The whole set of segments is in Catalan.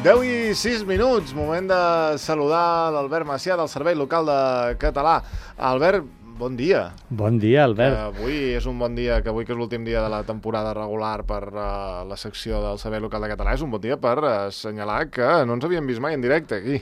10:06, moment de saludar l'Albert Macià del Servei Local de Català. Albert, bon dia. Bon dia, Albert. Avui és un bon dia, que avui que és l'últim dia de la temporada regular per la secció del Servei Local de Català, és un bon dia per assenyalar que no ens havíem vist mai en directe aquí.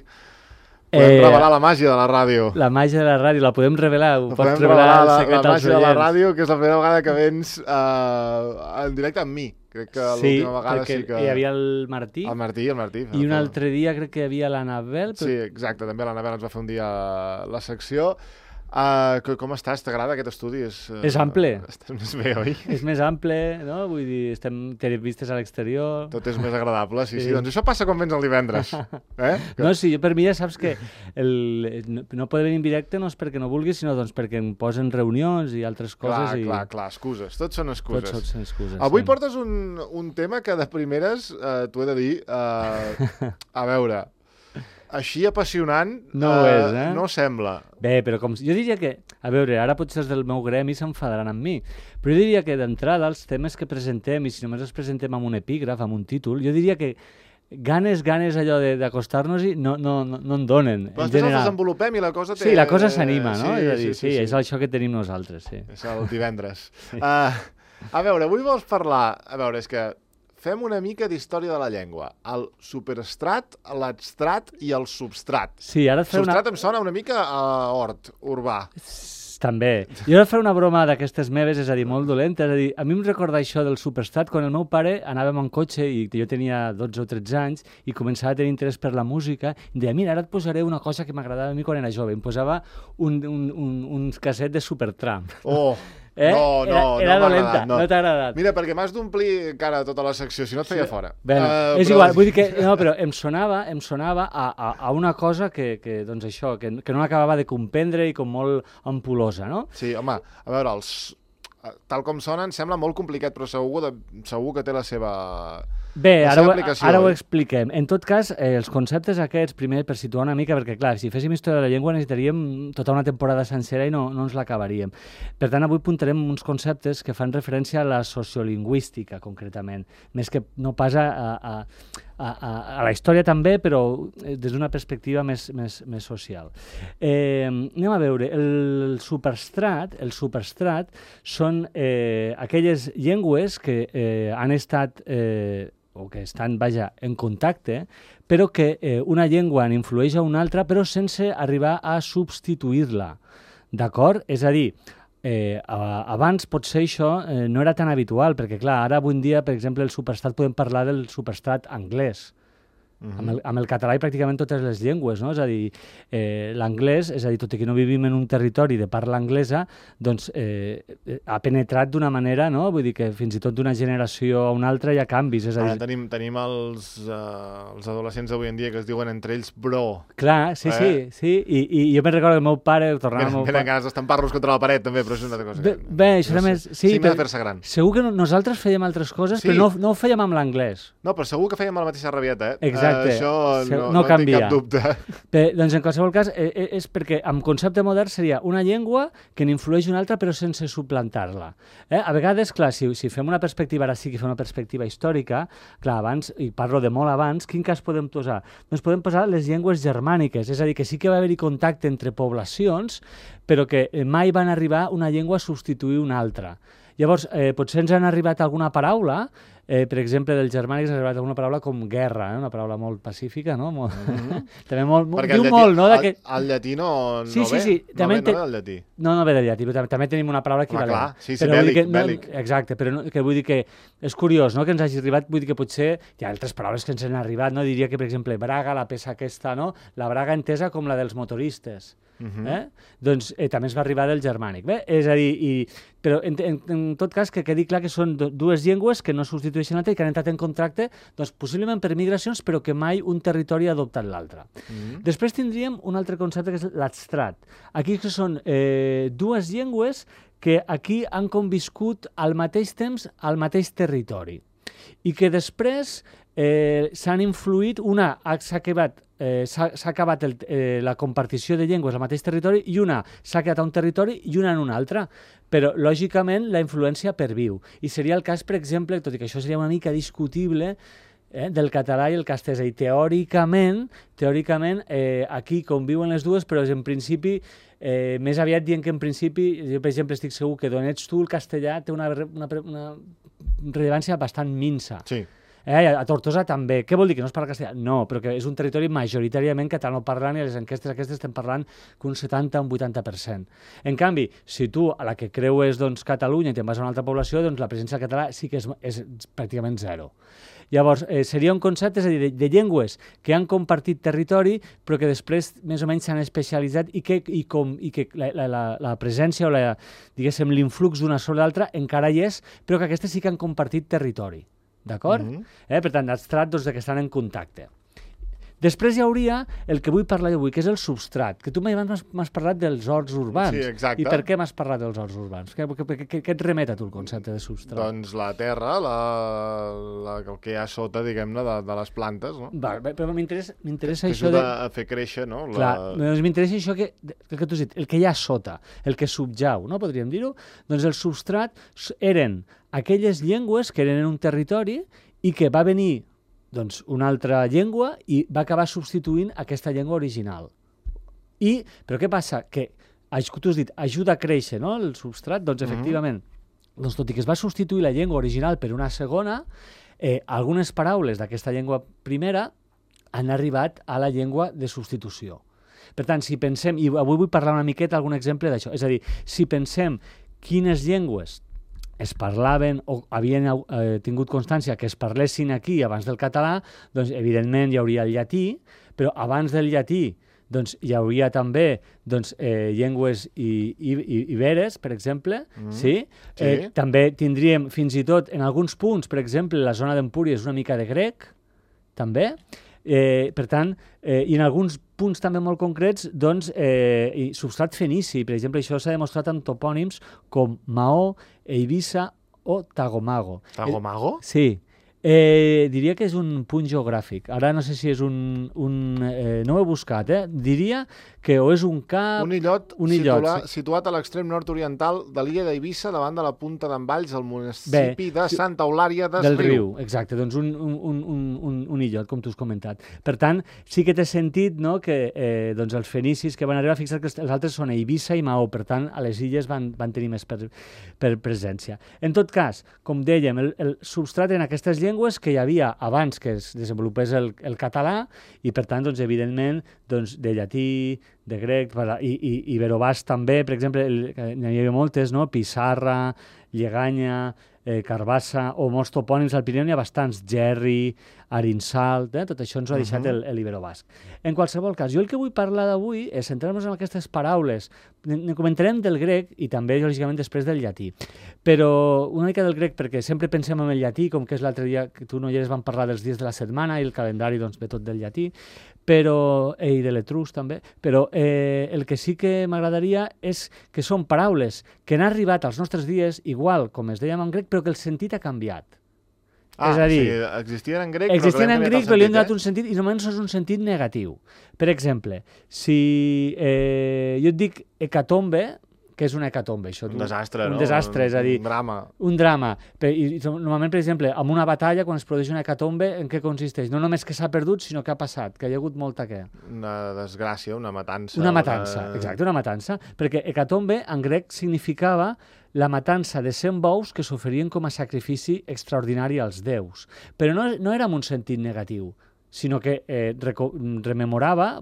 Podem revelar la màgia de la ràdio. La màgia de la ràdio, la podem revelar? Ho pots podem revelar revelar el secret la als màgia de la oients? ràdio, que és la primera vegada que vens en directe amb mi. Crec que l'última vegada sí que... hi havia el Martí. El Martí. I un altre dia crec que hi havia l'Anabel. Sí, exacte, també l'Anabel ens va fer un dia la secció. Com estàs? T'agrada aquest estudi? És ample. Estàs més bé, oi? És més ample, no? Vull dir, té vistes a l'exterior. Tot és més agradable, sí. Doncs això passa quan vens el divendres. No, sí, per mi ja saps que no poder venir en directe no és perquè no vulguis, sinó doncs perquè em posen reunions i altres coses. Clar, excuses. Tots són excuses. Tots són excuses. Avui portes un tema que de primeres t'ho he de dir, a veure... Així apassionant no ho és, no sembla. Bé, però jo diria que... A veure, ara potser els del meu gremi s'enfadaran amb mi, però jo diria que d'entrada els temes que presentem, i si només els presentem amb un epígraf, amb un títol, jo diria que ganes allò d'acostar-nos-hi no en donen. Però després els desenvolupem i la cosa té... Sí, la cosa s'anima, no? Sí, és això que tenim nosaltres, sí. És el divendres. A veure, avui vols parlar... A veure, és que... Fem una mica d'història de la llengua. El superestrat, l'adstrat i el substrat. Sí, ara et faré substrat em sona una mica a hort urbà. També. Jo ara faré una broma d'aquestes meves, és a dir, molt dolenta. És a dir, a mi em recorda això del superestrat quan el meu pare anàvem en cotxe i jo tenia 12 o 13 anys i començava a tenir interès per la música i deia, mira, ara et posaré una cosa que m'agradava a mi quan era jove. Em posava un casset de Supertramp. Oh! Era dolenta, no t'ha agradat. Mira, perquè m'has d'omplir encara tota la secció, si no et feia fora. És igual, vull dir que... No, però em sonava a una cosa que doncs això, que no acabava de comprendre i com molt ampulosa, no? Sí, home, a veure, tal com sonen, sembla molt complicat, però segur que té la seva... Bé, ara ho expliquem. En tot cas, els conceptes aquests, primer per situar una mica, perquè clar, si féssim història de la llengua necessitaríem tota una temporada sencera i no ens l'acabaríem. Per tant, avui apuntarem uns conceptes que fan referència a la sociolingüística, concretament, més que no pas a la història també, però des d'una perspectiva més social. Anem a veure, el superstrat són aquelles llengües que han estat... o que estan, en contacte, però que una llengua en influeix a una altra, però sense arribar a substituir-la. D'acord? És a dir, abans potser això no era tan habitual, perquè clar, ara avui en dia, per exemple, el superstrat podem parlar del superstrat anglès. Amb el català i pràcticament totes les llengües, no? És a dir, l'anglès, és a dir, tot i que no vivim en un territori de parla anglesa, doncs ha penetrat d'una manera, no? Vull dir que fins i tot d'una generació a una altra hi ha canvis. És a dir... Tenim els adolescents d'avui en dia que es diuen entre ells bro. Clar, sí, i jo me'n recordo que el meu pare... Tenen ganes d'estampar-los contra la paret també, però és una altra cosa. Bé, això també... Sí, m'ha de fer-se gran. Segur que nosaltres fèiem altres coses, però no ho fèiem amb l'anglès. No, però segur que fèiem la mateixa rabieta, Exacte. Això no canvia. tinc cap dubte. Bé, doncs en qualsevol cas és perquè amb concepte modern seria una llengua que n'influeix una altra però sense suplantar-la. A vegades, clar, si fem una perspectiva, ara sí que fem una perspectiva històrica, clar, abans, i parlo de molt abans, quin cas podem posar? Doncs podem posar les llengües germàniques, és a dir, que sí que va haver-hi contacte entre poblacions, però que mai van arribar una llengua a substituir una altra. Llavors, potser ens han arribat alguna paraula, per exemple, del germànic ens ha arribat alguna paraula com guerra, una paraula molt pacífica, no? També diu molt, no? El llatí no ve? Sí. No ve del llatí. No ve del llatí, però també tenim una paraula equivalent. Clar, sí, bèl·lic. Exacte, però que vull dir que és curiós, no?, que ens hagi arribat, vull dir que potser hi ha altres paraules que ens han arribat, no? Diria que, per exemple, braga, la peça aquesta, no? La braga entesa com la dels motoristes. Doncs també es va arribar del germànic. Bé, és a dir, però en tot cas que quedi clar que són dues llengües que no substitueixen l'altra i que han entrat en contracte, doncs possiblement per migracions, però que mai un territori ha adoptat l'altre. Després tindríem un altre concepte que és l'adstrat. Aquí que són dues llengües que aquí han conviscut al mateix temps al mateix territori i que després s'han influït, s'ha acabat la compartició de llengües al mateix territori i una s'ha quedat a un territori i una en un altre. Però, lògicament, la influència perviu. I seria el cas, per exemple, tot i que això seria una mica discutible, del català i el castellà. I teòricament, aquí conviuen les dues, però en principi, més aviat dient que en principi, jo per exemple estic segur que d'on ets tu el castellà té una rellevància bastant minsa. Sí. A Tortosa també. Què vol dir? Que no es parla castellà? No, però que és un territori majoritàriament catalanoparlant i a les enquestes aquestes estem parlant que un 70 o un 80%. En canvi, si tu a la que creues Catalunya i te'n vas a una altra població, doncs la presència del català sí que és pràcticament zero. Llavors, seria un concepte, és a dir, de llengües que han compartit territori, però que després més o menys s'han especialitzat i que la presència o diguéssim, l'influx d'una sobre l'altra encara hi és, però que aquestes sí que han compartit territori. D'acord? Per tant, es tracta que estan en contacte. Després hi hauria el que vull parlar avui, que és el substrat, que tu m'has parlat dels horts urbans. Sí, exacte. I per què m'has parlat dels horts urbans? Què et remet a tu el concepte de substrat? Doncs la terra, el que hi ha sota, diguem-ne, de les plantes, no? Però m'interessa això de... a fer créixer, no? Clar, doncs m'interessa això que tu has dit, el que hi ha sota, el que subjau, no? Podríem dir-ho? Doncs el substrat eren aquelles llengües que eren en un territori i que va venir una altra llengua i va acabar substituint aquesta llengua original. Però què passa? Que, tu has dit, ajuda a créixer, no?, el substrat, doncs efectivament, tot i que es va substituir la llengua original per una segona, algunes paraules d'aquesta llengua primera han arribat a la llengua de substitució. Per tant, si pensem, i avui vull parlar una miqueta algun exemple d'això, és a dir, si pensem quines llengües es parlaven o havien tingut constància que es parlessin aquí abans del català, doncs evidentment hi hauria el llatí, però abans del llatí doncs, hi hauria també llengües iberes, per exemple, sí? També tindríem fins i tot en alguns punts, per exemple, la zona d'Empúries una mica de grec, també. Per tant, i en alguns punts també molt concrets, doncs, substrat fenici. Per exemple, això s'ha demostrat amb topònims com Maó, Eivissa o Tagomago. Tagomago? Sí. Diria que és un punt geogràfic. Ara no sé si és no ho he buscat, diria que o és un cap... Un illot situat a l'extrem nord-oriental de l'illa d'Eivissa, davant de la punta d'en Valls, al municipi de Santa Eulària del Riu. Exacte, doncs un illot, com tu has comentat. Per tant, sí que té sentit, no?, que els fenicis que van arribar, fixa't que els altres són Eivissa i Maó, per tant, a les illes van tenir més per presència. En tot cas, com dèiem, el substrat en aquestes llengües que hi havia abans que es desenvolupés el català i, per tant, doncs, evidentment, de llatí, de grec, i iberobàs també, per exemple, n'hi havia moltes, no? Pissarra, Lleganya, Carbassa, o molts topònims al Pirineu, n'hi ha bastants, Gerri, Arinsal, tot això ens ho ha deixat l'iberobasc. En qualsevol cas, jo el que vull parlar d'avui és centrar-nos en aquestes paraules. Ne comentarem del grec i també, lògicament, després del llatí. Però una mica del grec, perquè sempre pensem en el llatí, com que és l'altre dia que tu no hi eres, vam parlar dels dies de la setmana i el calendari doncs, ve tot del llatí, i de l'etrusc també, però el que sí que m'agradaria és que són paraules que han arribat als nostres dies, igual com es dèiem en grec, però que el sentit ha canviat. És a dir, existien en grec, però li han donat un sentit i només és un sentit negatiu. Per exemple, si jo et dic hecatombe, que és una hecatombe, això? Un desastre, no? Un desastre, és a dir... Un drama. Un drama. I normalment, per exemple, en una batalla, quan es produeix una hecatombe, en què consisteix? No només que s'ha perdut, sinó que ha passat, que hi ha hagut molta què? Una desgràcia, una matança. Una matança, exacte, una matança. Perquè hecatombe, en grec, significava la matança de 100 bous que s'oferien com a sacrifici extraordinari als déus. Però no era en un sentit negatiu, sinó que rememorava,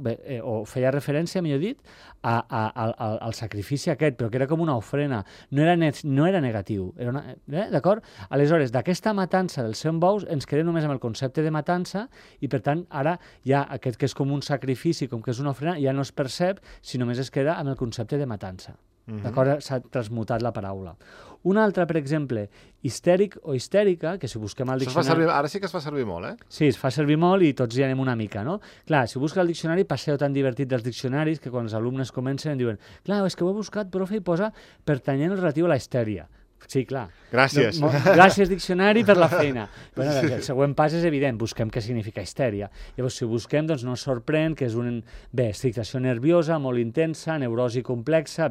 o feia referència, millor dit, al sacrifici aquest, però que era com una ofrena, no era negatiu. D'acord? Aleshores, d'aquesta matança dels 100 bous ens quedem només amb el concepte de matança i, per tant, ara ja aquest que és com un sacrifici, com que és una ofrena, ja no es percep, si només es queda amb el concepte de matança. D'acord? S'ha transmutat la paraula. Una altra, per exemple, histèric o histèrica, que si busquem al diccionari... Ara sí que es fa servir molt, Sí, es fa servir molt i tots hi anem una mica, no? Clar, si busques el diccionari, passeu tan divertit dels diccionaris que quan els alumnes comencen em diuen clar, és que ho he buscat, profe, i posa pertanyent relatiu a la histèria. Sí, clar. Gràcies. Gràcies, diccionari, per la feina. Bueno, el següent pas és evident, busquem què significa histèria. Llavors, si ho busquem, doncs no ens sorprèn que és excitació nerviosa, molt intensa, neurosi complexa,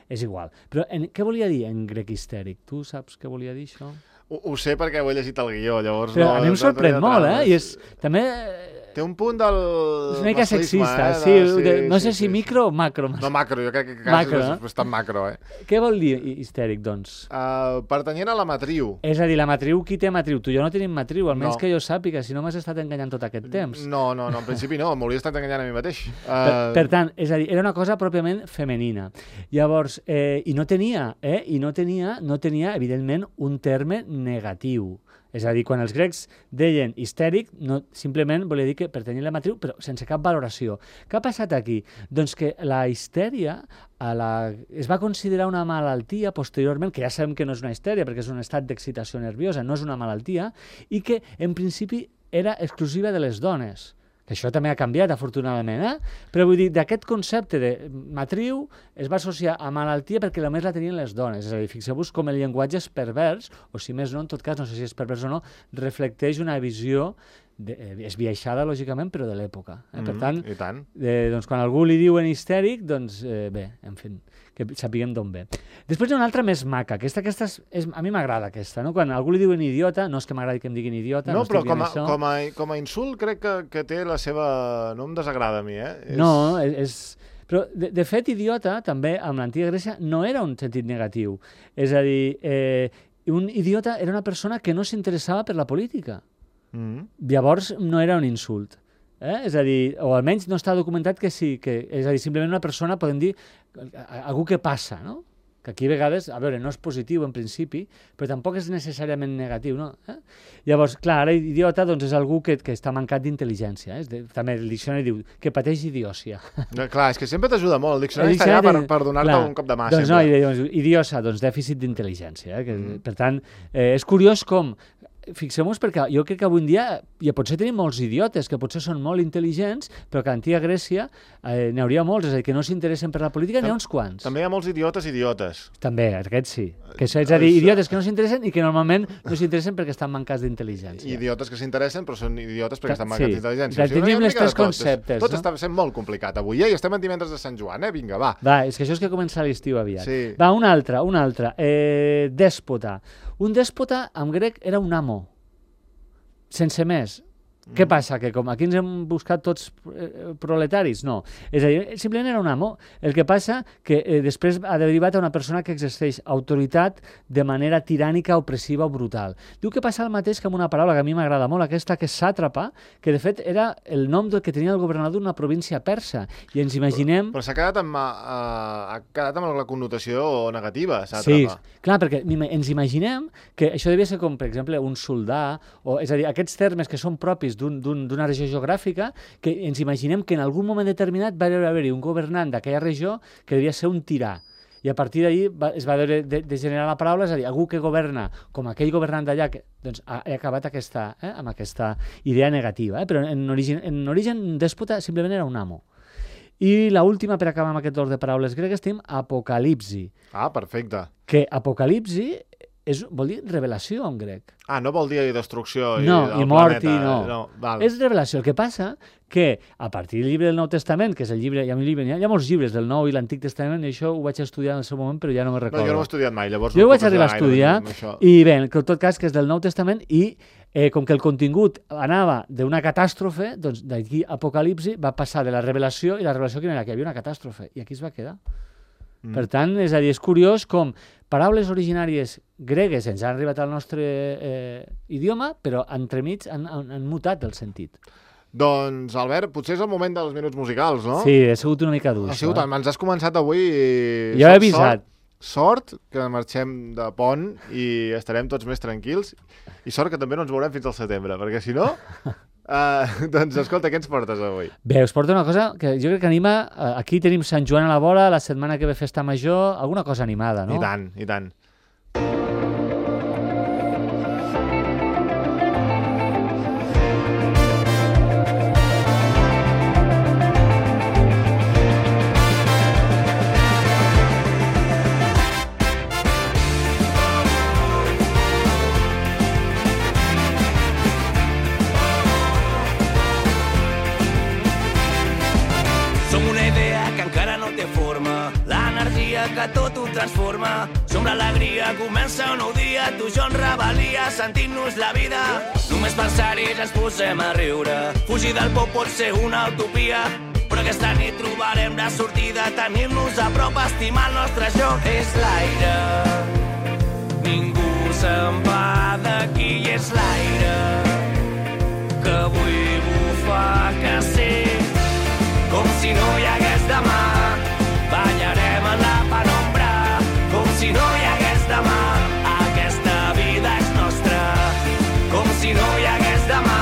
és igual. Però què volia dir en grec histèric? Tu saps què volia dir això? Ho sé perquè ho he llegit al guió, llavors... Però a mi em sorprèn molt, i és... També... Té un punt del... És una mica sexista, sí. No sé si micro o macro. No, macro, jo crec que és bastant macro, Què vol dir histèric, doncs? Pertanyent a la matriu. És a dir, la matriu, qui té matriu? Tu i jo no tenim matriu, almenys que jo sàpiga, si no m'has estat enganyant tot aquest temps. No, en principi no, m'hauria estat enganyant a mi mateix. Per tant, és a dir, era una cosa pròpiament femenina. Llavors, i no tenia, evidentment, un terme negatiu. És a dir, quan els grecs deien histèric, no, simplement volia dir que pertanyia a la matriu, però sense cap valoració. Què ha passat aquí? Doncs que la histèria es va considerar una malaltia posteriorment, que ja sabem que no és una histèria, perquè és un estat d'excitació nerviosa, no és una malaltia, i que en principi era exclusiva de les dones. Que això també ha canviat, afortunadament, Però vull dir, d'aquest concepte de matriu es va associar a malaltia perquè només la tenien les dones. És a dir, fixeu-vos com el llenguatge és pervers, o si més no, en tot cas, no sé si és pervers o no, reflecteix una visió esbiaixada, lògicament, però de l'època. Per tant, doncs, quan algú li diuen histèric, doncs bé, en fi, que sapiguem d'on ve. Després hi ha una altra més maca, aquesta a mi m'agrada aquesta, no? Quan algú li diuen idiota, no és que m'agradi que em diguin idiota, no però com a insult crec que té la seva... no em desagrada a mi, No, però, de fet, idiota, també, amb l'antiga Grècia, no era un sentit negatiu. És a dir, un idiota era una persona que no s'interessava per la política. Llavors, no era un insult. És a dir, o almenys no està documentat que sí, és a dir, simplement una persona, podem dir, algú que passa, no? Que aquí a vegades, a veure, no és positiu en principi, però tampoc és necessàriament negatiu, no? Llavors, clar, ara idiota doncs, és algú que està mancat d'intel·ligència. També el diccionari diu que pateix idiòcia. Clar, és que sempre t'ajuda molt, el diccionari està allà per donar-te un cop de mà. Doncs no, idiosa, doncs dèficit d'intel·ligència. Per tant, és curiós com... Fixem-nos, perquè jo crec que avui en dia ja potser tenim molts idiotes, que potser són molt intel·ligents, però que a l'antiga Grècia n'hi hauria molts, és a dir, que no s'interessen per la política, n'hi ha uns quants. També hi ha molts idiotes. També, aquests sí. És a dir, idiotes que no s'interessen i que normalment no s'interessen perquè estan mancats d'intel·ligència. Idiotes que s'interessen, però són idiotes perquè estan mancats d'intel·ligència. Tenim els tres conceptes, no? Tot està sent molt complicat avui, i estem en divendres de Sant Joan, vinga, va. Va, és que això és que comença l'estiu aviat. Sí. Va, un altre. Dèspota. Un dèspota, en grec, era un amo. Sense més. Què passa? Que com aquí ens hem buscat tots proletaris? No. És a dir, simplement era un amo. El que passa que després ha derivat a una persona que exerceix autoritat de manera tirànica, opressiva o brutal. Diu que passa el mateix que amb una paraula que a mi m'agrada molt, aquesta que és sàtrapa, que de fet era el nom que tenia el governador d'una província persa. I ens imaginem... Però s'ha quedat amb la connotació negativa, sàtrapa. Sí, clar, perquè ens imaginem que això devia ser com, per exemple, un soldà, és a dir, aquests termes que són propis d'una regió geogràfica, que ens imaginem que en algun moment determinat va haver-hi un governant d'aquella regió que devia ser un tirà. I a partir d'ahir es va de generar la paraula, és a dir, algú que governa com aquell governant d'allà, doncs ha acabat amb aquesta idea negativa. Però en origen dèspota simplement era un amo. I l'última, per acabar amb aquest ordre de paraules gregues, tenim apocalipsi. Ah, perfecte. Que apocalipsi vol dir revelació en grec. Ah, no vol dir destrucció i mort planeta. No. És revelació. El que passa que a partir del llibre del Nou Testament, que és el llibre, hi ha molts llibres del Nou i l'Antic Testament, i això ho vaig estudiar en el seu moment, però ja no me'n recordo. No, jo no ho he estudiat mai, llavors... Jo ho vaig arribar a estudiar, i bé, en tot cas, que és del Nou Testament, i com que el contingut anava d'una catàstrofe, doncs d'aquí Apocalipsi va passar de la revelació, i la revelació que era que hi havia una catàstrofe, i aquí es va quedar. Per tant, és a dir, és curiós com paraules originàries gregues ens han arribat al nostre idioma, però entremig han mutat el sentit. Doncs, Albert, potser és el moment dels minuts musicals, no? Sí, ha sigut una mica dur. Ens has començat avui... Jo he avisat. Sort que marxem de pont i estarem tots més tranquils, i sort que també no ens veurem fins al setembre, perquè si no... doncs escolta, què ens portes avui? Bé, us porto una cosa que jo crec que anima... Aquí tenim Sant Joan a la vora, la setmana que ve festa major, alguna cosa animada, no? I tant, i tant. que tot ho transforma. Som l'alegria, comença un nou dia, tu i jo en rebel·lia, sentint-nos la vida. Només pensar-hi ja ens posem a riure. Fugir del por pot ser una utopia, però aquesta nit trobarem la sortida. Tenir-nos a prop, estimar el nostre joc. És l'aire, ningú se'n va d'aquí, és l'aire que avui bufa que sí, com si no hi hagués demà. Ballarem en la penombra, com si no hi hagués demà. Aquesta vida és nostra, com si no hi hagués demà.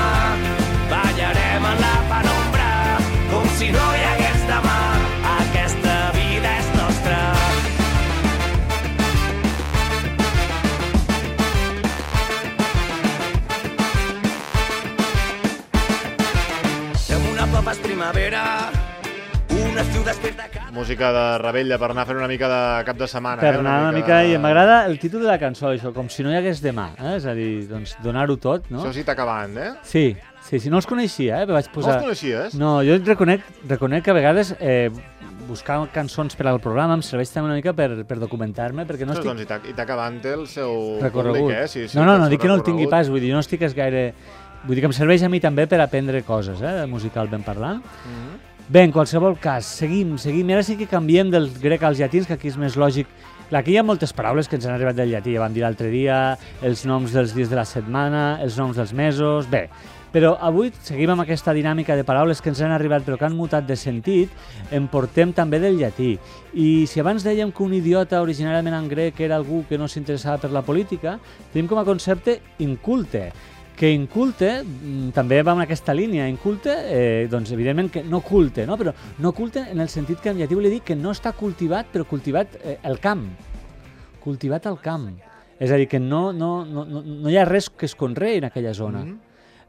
Ballarem en la penombra, com si no hi hagués demà. Aquesta vida és nostra. Som una papa és primavera, un estiu després de cada... Música de Rebella per anar a fer una mica de cap de setmana. Per anar una mica... I m'agrada el títol de la cançó, això, com si no hi hagués demà. És a dir, doncs, donar-ho tot, no? Això sí t'acabant, eh? Sí, no els coneixia, però vaig posar... No els coneixies? No, jo reconec que a vegades buscar cançons per al programa em serveix també una mica per documentar-me, perquè no estic... Doncs, i t'acabant té el seu recorregut. públic, eh? Sí, no, dic que no el tingui pas, vull dir, jo no estic gaire... Vull dir que em serveix a mi també per aprendre coses, musicalment parlant. Bé, en qualsevol cas, seguim, i ara sí que canviem del grec als llatins, que aquí és més lògic. Clar, aquí hi ha moltes paraules que ens han arribat del llatí, ja vam dir l'altre dia, els noms dels dies de la setmana, els noms dels mesos... Bé, però avui seguim amb aquesta dinàmica de paraules que ens han arribat però que han mutat de sentit, en portem també del llatí. I si abans dèiem que un idiota originàriament en grec era algú que no s'interessava per la política, tenim com a concepte inculte, que inculte també va en aquesta línia. Inculte, doncs evidentment que no culte, no? Però no culte en el sentit que en llatí volia dir que no està cultivat, però cultivat el camp. Cultivat al camp. És a dir, que no hi ha res que es conreï en aquella zona.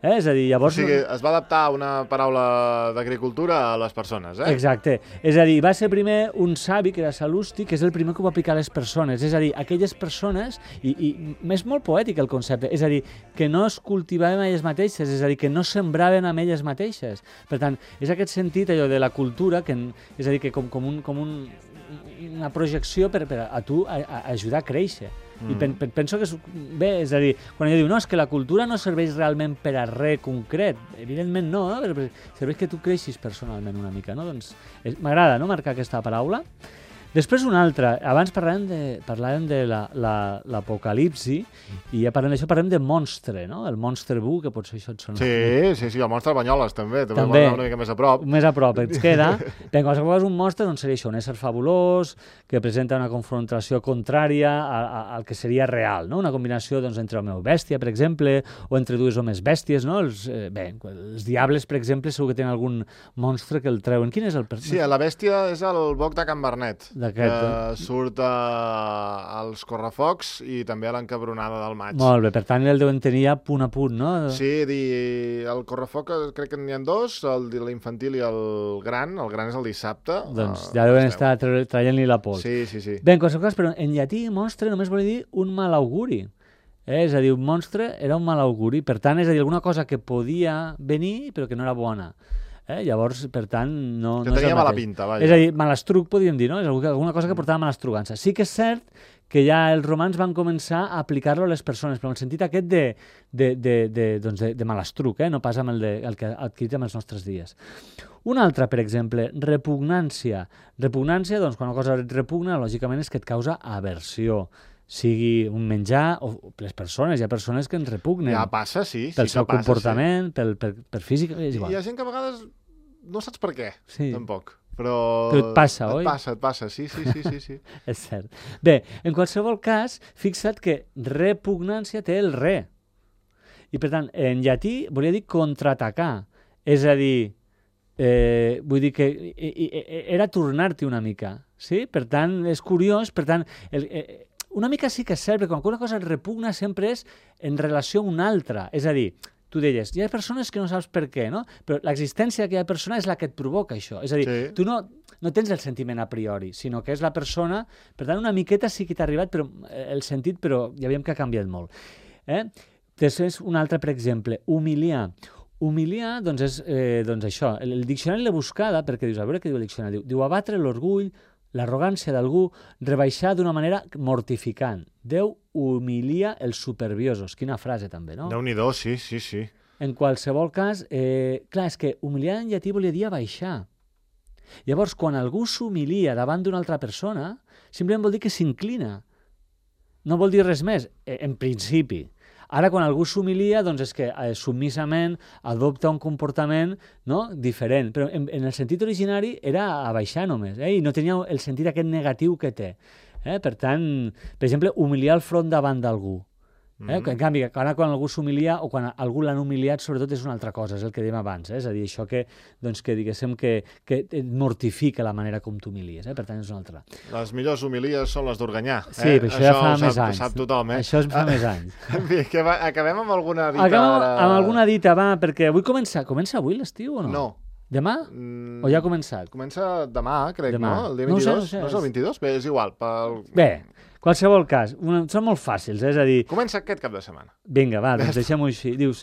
És a dir, llavors... O sigui, es va adaptar una paraula d'agricultura a les persones, eh? Exacte. És a dir, va ser primer un savi, que era Sal·lusti, que és el primer que ho va aplicar a les persones. És a dir, aquelles persones... I és molt poètic el concepte. És a dir, que no es cultivaven elles mateixes, és a dir, que no sembraven amb elles mateixes. Per tant, és aquest sentit, allò de la cultura, és a dir, que com una projecció per a tu ajudar a créixer. I penso que és bé, és a dir, quan ella diu no, és que la cultura no serveix realment per a res concret, evidentment no, però serveix que tu creixis personalment una mica, no? Doncs m'agrada, no?, marcar aquesta paraula. Després una altra, abans parlàvem de l'apocalipsi, i ja parlem d'això, parlem de monstre, no? El monstre bu, que potser això et sona. Sí, el monstre Banyoles també una mica més a prop. Més a prop, ens queda. Bé, en qualsevol cas, un monstre doncs seria això, un ésser fabulós, que presenta una confrontació contrària al que seria real, no? Una combinació doncs, entre home i bèstia, per exemple, o entre dues homes bèsties, no? Els diables, per exemple, segur que tenen algun monstre que el treuen. Quin és el Sí, la bèstia és el boc de Can Bernet, que surt als correfocs i també a l'encabronada del maig. Molt bé, per tant el deuen tenir ja punt a punt, no? Sí, el correfoc crec que n'hi ha dos, l'infantil i el gran és el dissabte. Doncs ja deuen estar traient-li la pols. Sí. Bé, en qualsevol cas, però en llatí monstre només vol dir un mal auguri. És a dir, un monstre era un mal auguri, per tant, és a dir, alguna cosa que podia venir però que no era bona. Llavors, per tant, no és el mateix. Que tenia mala pinta, vaja. És a dir, malastruc, podríem dir, no? És alguna cosa que portava malastrugança. Sí que és cert que ja els romans van començar a aplicar-lo a les persones, però en el sentit aquest de malastruc, no pas amb el que ha adquirit en els nostres dies. Una altra, per exemple, repugnància. Repugnància, doncs, quan una cosa et repugna, lògicament és que et causa aversió. Sigui un menjar o les persones, hi ha persones que ens repugnen. Ja passa, sí. Pel seu comportament, per físic, és igual. Hi ha gent que a vegades no saps per què, tampoc. Però et passa, oi? Et passa, sí. És cert. Bé, en qualsevol cas, fixa't que repugnància té el re. I per tant, en llatí volia dir contraatacar. És a dir, vull dir que era tornar-t'hi una mica. Sí? Per tant, és curiós, per tant... Una mica sí que és cert, perquè quan una cosa et repugna sempre és en relació a una altra. És a dir, tu deies, hi ha persones que no saps per què, no? Però l'existència d'aquella persona és la que et provoca això. És a dir, tu no tens el sentiment a priori, sinó que és la persona... Per tant, una miqueta sí que t'ha arribat el sentit, però ja veiem que ha canviat molt. Després, un altre, per exemple, humiliar. Humiliar, doncs, és això. El diccionari l'he buscada, perquè dius, a veure què diu el diccionari. Diu abatre l'orgull, l'arrogància d'algú rebaixar d'una manera mortificant. Déu humilia els superbiosos. Quina frase, també, no? Déu-n'hi-do, sí. En qualsevol cas, clar, és que humiliar en llatí volia dir abaixar. Llavors, quan algú s'humilia davant d'una altra persona, simplement vol dir que s'inclina. No vol dir res més, en principi. Ara, quan algú s'humilia, doncs és que submissament adopta un comportament, no, diferent. Però en el sentit originari era abaixar només, i no tenia el sentit aquest negatiu que té. Per tant, per exemple, humiliar el front davant d'algú. En canvi, quan algú s'humilia o quan algú l'han humiliat, sobretot és una altra cosa, és el que dèiem abans, és a dir, això que diguéssim que et mortifica la manera com t'humilies, per tant és una altra. Les millors humilies són les d'Organyà. Sí, però això ja fa més anys. Sap tothom, Això fa més anys. Acabem amb alguna dita. Amb alguna dita, va, perquè avui comença avui l'estiu o no? No. Demà? O ja ha començat? Comença demà, crec, no? El dia 22? No és el 22? Bé, és igual. Bé, qualsevol cas, són molt fàcils, és a dir... Comença aquest cap de setmana. Vinga, va, doncs deixem-ho així. Dius,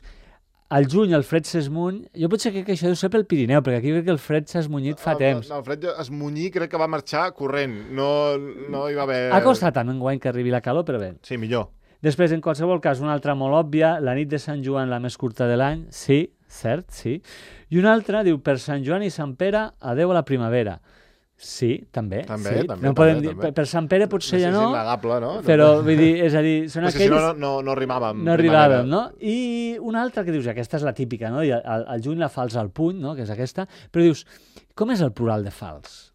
al juny el fred s'esmuny... Jo potser crec que això deu ser pel Pirineu, perquè aquí crec que el fred s'ha esmunyit fa temps. El fred esmunyir crec que va marxar corrent, no hi va haver... Ha costat també enguany que arribi la calor, però bé. Sí, millor. Després, en qualsevol cas, una altra molt òbvia, la nit de Sant Joan, la més curta de l'any, sí, cert, sí. I una altra diu, per Sant Joan i Sant Pere, adeu a la primavera. Sí, també. També. Per Sant Pere potser ja no, innegable, no? Però, vull dir, és a dir, són aquells... Si no rimàvem. No rimàvem, no? I una altra que dius, aquesta és la típica, no? I al juny la fals al puny, no? Que és aquesta. Però dius, com és el plural de fals?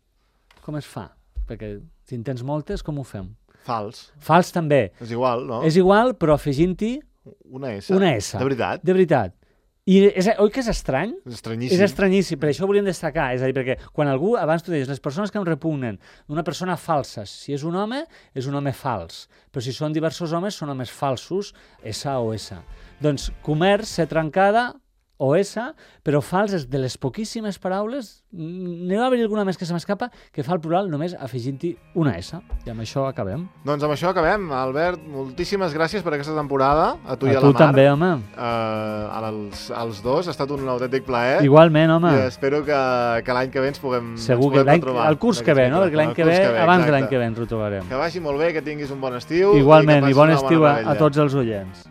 Com es fa? Perquè si en tens moltes, com ho fem? Fals. Fals també. És igual, no? És igual, però afegint-hi... Una S. Una S. De veritat? De veritat. I oi que és estrany? És estranyíssim. És estranyíssim, per això ho volíem destacar. És a dir, perquè quan algú, abans tu deies, les persones que em repugnen, una persona falsa, si és un home fals. Però si són diversos homes, són homes falsos, S o S. Doncs comerç, C trencada, o S, però fals és de les poquíssimes paraules, n'hi va haver alguna més que se m'escapa, que fa el plural només afegint-hi una S. I amb això acabem. Doncs amb això acabem. Albert, moltíssimes gràcies per aquesta temporada. A tu i a la Mar. A tu també, home. Als dos, ha estat un autèntic plaer. Igualment, home. I espero que l'any que ve ens puguem retrobar. El curs que ve, no? Perquè l'any que ve, abans de l'any que ve ens ho trobarem. Que vagi molt bé, que tinguis un bon estiu. Igualment, i bon estiu a tots els oients.